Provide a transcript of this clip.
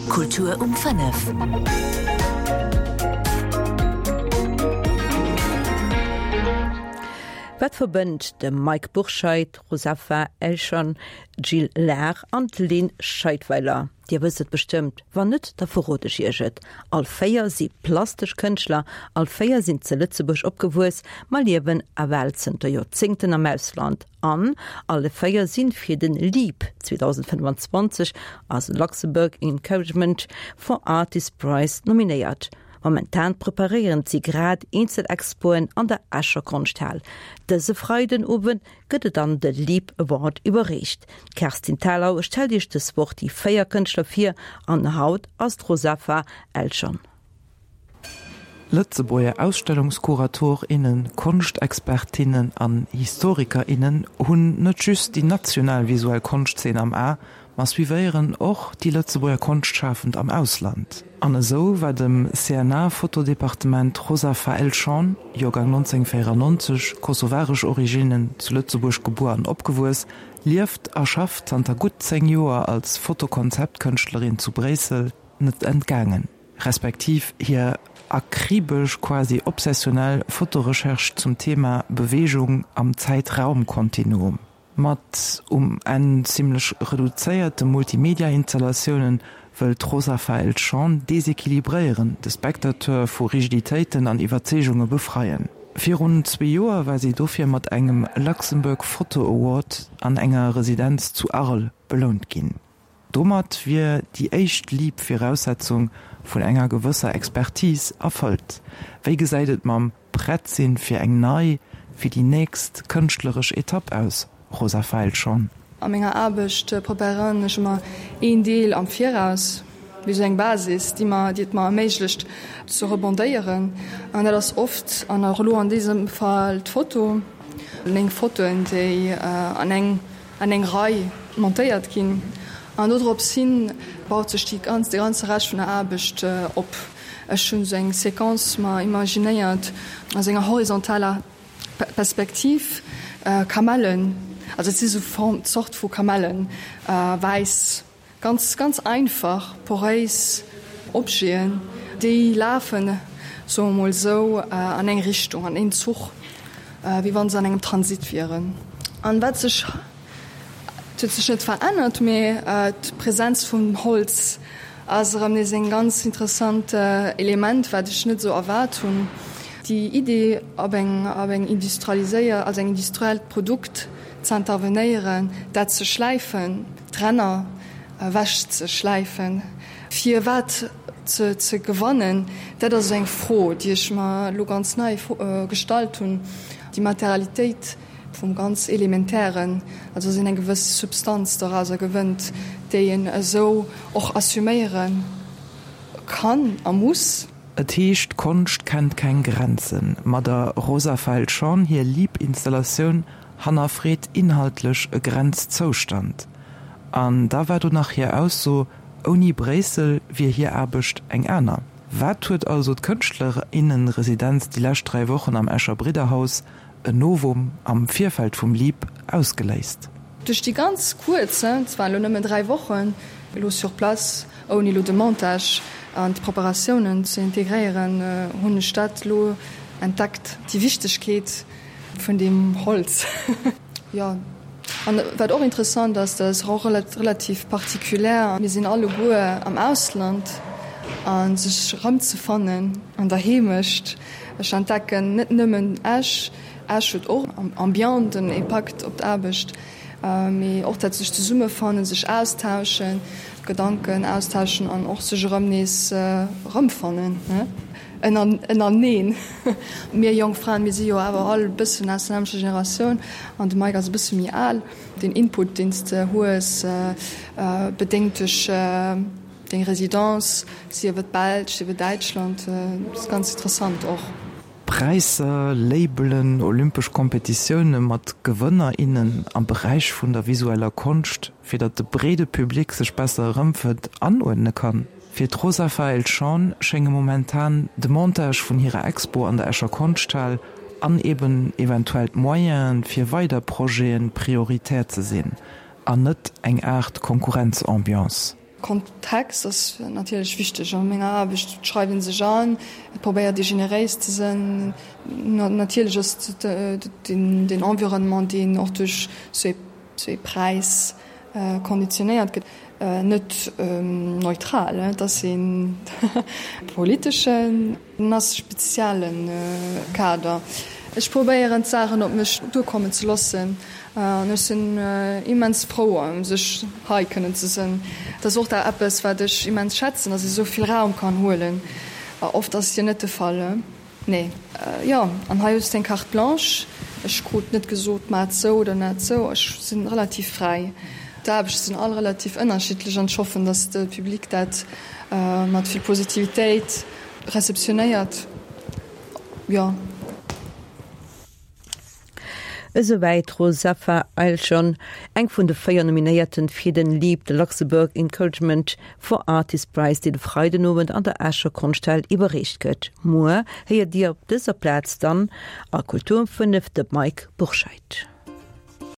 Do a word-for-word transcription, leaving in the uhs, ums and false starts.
Kultur um fënnef. Wat verbënnt de Mike Bourscheid, d'Rosafa Elshon, d'Jill Lahr an d'Lynn Scheidweiler? Dir wësst et bestëmmt, wann net, da verrot ech iech et. All véier si plastesch Kënschtler, all véier sinn zu Lëtzebuerg opgewuess, ma liewen ewell zënter Joerzéngten am Ausland. An alle véier sinn fir den LEAP zweedausendfënnefanzwanzeg, also Luxembourg Encouragement for Artists Prize, nominéiert. Momentan preparéieren si grad eenzel Expoen an der Escher Konschthal. Dëse Freidenowend gëtt et dann de LEAP Award iwwerreecht. D'Kerstin Thalau stellt iech dës Woch déi véier Kënschtler vir an haut ass d'Rosafa Elshon. Lëtzebuerger Ausstellungskurator, innen, Konschtexpertinnen an Historiker, innen hunn net just déi national visuell Konschtzeen am A, ma suivéieren och déi Lëtzebuerger Konschtschafend am Ausland. An esou war dem C N A-Fotodepartement d'Rosafa Elshon, Joergang nonzénghonnertvéierennonzeg, kosovaresch Originnen, zu Lëtzebuerg gebuer an opgewuess, lieft a schafft zanter gutt zéng Joer als Fotokonzeptkënschtlerin zu Bréissel, net entgaangen. Respektiv hir akribesch, quasi obsessionell Fotorecherche zum Thema Beweegung am Zäit-Raum-Kontinuum. Mat um Enn zimmlech reduzéierte Multimedia-Installatiounen wëll d'Rosafa Elshon desequilibréieren, de Spectateur vu Rigiditéiten an Iwwerzeegunge befreien. Virun zwee Joer war si dofir mat engem Luxembourg Photo Award an enger Residenz zu Arles belount ginn. Domat wier déi éischt LEAP-Viraussetzung vun enger gewësser Expertise erfëllt. Wéi gesäit et mam Prett-sinn fir eng nei, fir déi nächst kënschtleresch Etapp aus, Rosafa Elshon? A menger Aarbecht preparéieren ech ëmmer een Deel am Viraus, wéi esou eng Basis, déi mer, déi et mer erméiglecht ze rebondéieren. An dat ass oft, an och elo an dësem Fall, d'Foto, meng Fotoen, déi an eng, an eng Rei montéiert ginn. An dodrops hin baut sech déi ganz, de ganze Rescht vun der Aarbecht op. Ech hunn esou eng Séquence mer imaginéiert aus enger horizontaler Perspektiv, Kamellen, also et si sou Form, Zort vu Kamellen, wäiss, ganz, ganz einfach, poréis Objeten, déi lafen, soe mer mol esou, an eng Richtung, an een Zuch, wéi wa se an engem Transit wieren. An wat sech, et huet sech net verännert, mee d'Präsenz vum Holz ass erëm nees eng ganz interessant Element, wat ech net esou erwaart hunn. Déi Idee, op eng op eng industrialiséier, also eng industriellt Produkt ze intervenéieren, dat ze schläifen, d'Ränner ewech ze schläifen, fir wat ze ze gewannen, dat ass eng Fro, déi ech mer elo ganz nei gestallt hunn. Déi Materialitéit vum ganz Elementären, also dass een eng gewëss Substanz dorauser gewënnt, déi een esou och assuméiere kann a muss. Et heescht, Konscht kennt keng Grenzen. Ma der Rosa Felschon hir LEAP-Installatioun hannerfreet inhaltlech e Grenzzoustand. An da war do nach hir Ausso, ouni Bréissel wier hir Aarbecht eng aner. Wat huet also d'Kënschtlerinnenresidenz déi lescht dräi Wochen am Escher Bridderhaus, en Novum am Virfeld vum LEAP, ausgeléist? Duerch déi ganz kuerz, et waren elo nëmmen dräi Wochen, elo sur place, ouni elo de Montage an d'Preparatiounen ze integréieren, hunn ech dat elo entdeckt, déi Wichtegkeet vun deem Holz. Jo, an wat och interessant ass, dat ass och relativ particulier, mir sinn alleguer am Ausland a sech erëmzefannen an der Heemecht. Ech entdecken net nëmmen Esch, Esch huet och Ambiente, en Impakt op d'Aarbecht, mee och dat sech zesummefannen, sech austauschen, Gedanken austauschen an och sech erëm nees erëmfannen ënnereneen. Mir jonk Fraen, mir si jo awer all e bëssen aus der nämmlechter Generatioun an de Mike ass e bësse méi al. Den Input, deen s de hues, bedéngt duerch deng Residence, sief et d'Belsch, sief et Däitschland, ass ganz interessant och. Präisser, Labelen, olympesch Kompetitioune mat Gewënner, innen am Beräich vun der visueller Konscht, fir datt de breede Public sech besser erëmfënnt, anuerdne kann. Fir d'Rosafa Elshon schénge momentan de Montage vun hirer Expo an der Escher Konschthal an eben eventuell d'Moyene fir weider Projete prioritär ze sinn, an net eng Aart Konkurrenzambiance. Kontext ass natierlech wichteg a menger Aarbecht. Et schreift ee sech an, et probéiert ee generéis ze sinn. Natierlech ass den Environnement, deen och duerch sou ee Präis konditionéiert gëtt, net neutral. Et ass ee politeschen, en ass spezielle Kader. Ech probéieren d'Saachen op mech duerkommen ze loossen an ech sinn immens frou ëm sech hei kënnen ze sinn. Dat ass och da eppes wat ech immens schätzen, dass ech esou vill Raum kann huelen. Oft ass et jo net de Fall. Nee, jo, an hei hues de eng Carte blanche. Ech krut net gesot, maach et sou oder net sou. Ech sinn relativ fräi. D'Aarbechte sinn all relativ ënnerschiddlech an ech hoffen, dass de Public dat mat vill Positivitéit receptionéiert. Jo. Esouwäit d'Rozafa Eilschon, eng vun de véier Nominéierten fir den LEAP, de Luxembourg Encouragement for Artists Prize, deen de Freidenowend an der Escher Konschthal iwwerreecht gëtt. Muer héiert Dir op dëser Plaz dann a Kultur um fënnef de Mike Bourscheid.